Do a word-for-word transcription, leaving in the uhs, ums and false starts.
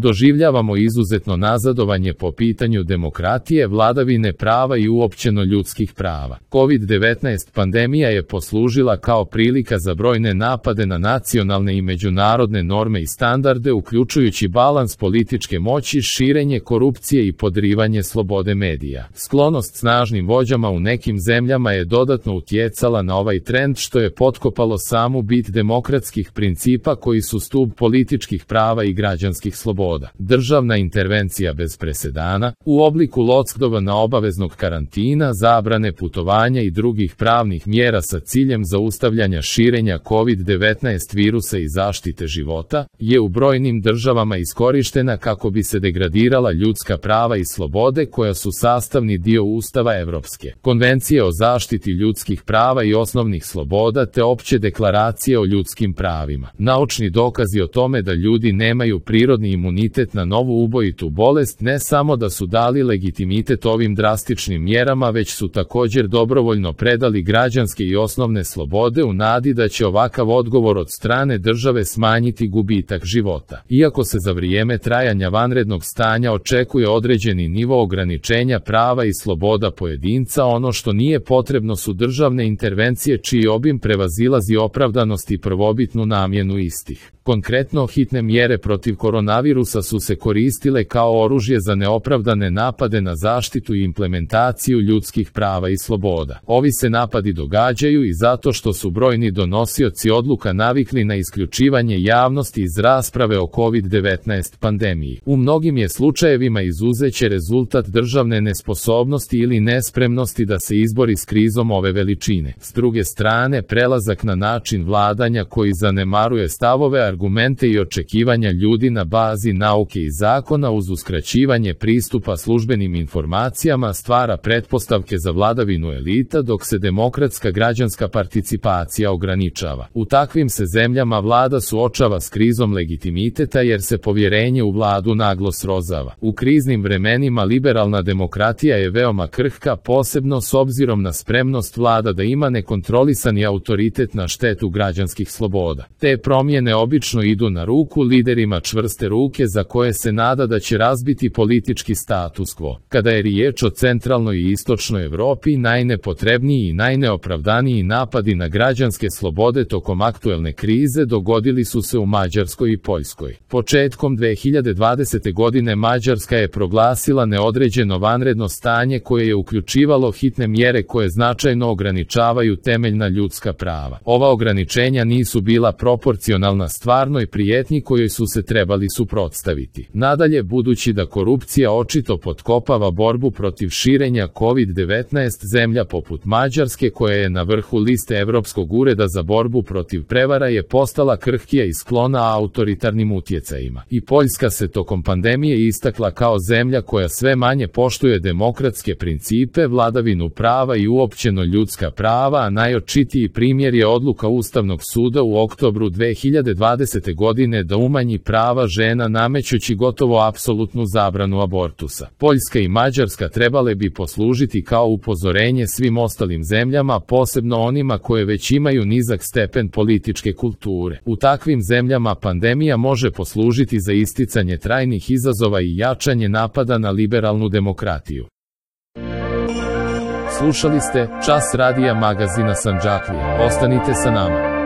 Doživljavamo izuzetno nazadovanje po pitanju demokratije, vladavine prava i uopćeno ljudskih prava. kovid devetnaest pandemija je poslužila kao prilika za brojne napade na nacionalne i međunarodne norme i standarde, uključujući balans političke moći, širenje korupcije i podrivanje slobode medija. Sklonost snažnim vođama u nekim zemljama je dodatno utjecala na ovaj trend, što je potkopalo samu bit demokratskih principa koji su stub političkih prava i građanskih sloboda. Državna intervencija bez presedana, u obliku lockdowna, obaveznog karantina, zabrane putovanja i drugih pravnih mjera sa ciljem zaustavljanja širenja kovid devetnaest virusa i zaštite života, je u brojnim državama iskorištena kako bi se degradirala ljudska prava i slobode koja su sastavni dio Ustava Evropske konvencije o zaštiti ljudskih prava i osnovnih sloboda te opće deklaracije o ljudskim pravima. Naučni dokazi o tome da ljudi nemaju prirodni imunitet na novu ubojitu bolest ne samo da su dali legitimitet ovim drastičnim mjerama, već su također dobrovoljno predali građanske i osnovne slobode u nadi da će ovakav odgovor od strane države smanjiti gubitak života. Iako se za vrijeme trajanja vanrednog stanja očekuje određeni nivo ograničenja prava i sloboda pojedinca, ono što nije potrebno su državne intervencije čiji obim prevazilazi opravdanost i prvobitnu namjenu istih. Konkretno, hitne mjere protiv koronavirusa su se koristile kao oružje za neopravdane napade na zaštitu i implementaciju ljudskih prava i sloboda. Ovi se napadi događaju i zato što su brojni donosioci odluka navikli na isključivanje javnosti iz rasprave o kovid devetnaest pandemiji. U mnogim je slučajevima izuzeće rezultat državne nesposobnosti ili nespremnosti da se izbori s krizom ove veličine. S druge strane, prelazak na način vladanja koji zanemaruje stavove, argumente i očekivanja ljudi na bazi nauke i zakona uz uskraćivanje pristupa službenim informacijama stvara pretpostavke za vladavinu elita, dok se demokratska građanska participacija ograničava. U takvim se zemljama vlada suočava s krizom legitimiteta jer se povjerenje u vladu naglo srozava. U kriznim vremenima liberalna demokratija je veoma krhka, posebno s obzirom na spremnost vlada da ima nekontrolisani autoritet na štetu građanskih sloboda. Te promjene obično idu na ruku liderima čvrste ruke za koje se nada da će razbiti politički status quo. Kada je riječ o centralnoj i istočnoj Europi, najnepotrebniji i najneopravdaniji napadi na građanske slobode tokom aktuelne krize dogodili su se u Mađarskoj i Poljskoj. Početkom dve hiljade dvadesete. godine Mađarska je proglasila neodređeno vanredno stanje koje je uključivalo hitne mjere koje značajno ograničavaju temeljna ljudska prava. Ova ograničenja nisu bila proporcionalna stvarnoj prijetnji kojoj su se trebali suprotstaviti. Nadalje, budući da korupcija očito potkopava borbu protiv širenja kovid devetnaest, zemlja poput Mađarske, koja je na vrhu liste Europskog ureda za borbu protiv prevara, je postala krhkija i sklona autoritarnim utjecajima. I Poljska se tokom pandemije istakla kao zemlja koja sve manje poštuje demokratske principe, vladavinu prava i uopćeno ljudska prava, a najočitiji primjer je odluka Ustavnog suda u oktobru dve hiljade dvadesete. godine da umanji prava žena namećući gotovo apsolutnu zabranu abortusa. Poljska i Mađarska trebale bi poslužiti kao upozorenje svim ostalim zemljama, posebno onima koje već imaju nizak stepen političke kulture. U takvim zemljama pandemija može poslužiti za isticanje trajnih izazova i jačanje napada na liberalnu demokratiju. Slušali ste Čas radija magazina Sandžaklija. Ostanite sa nama.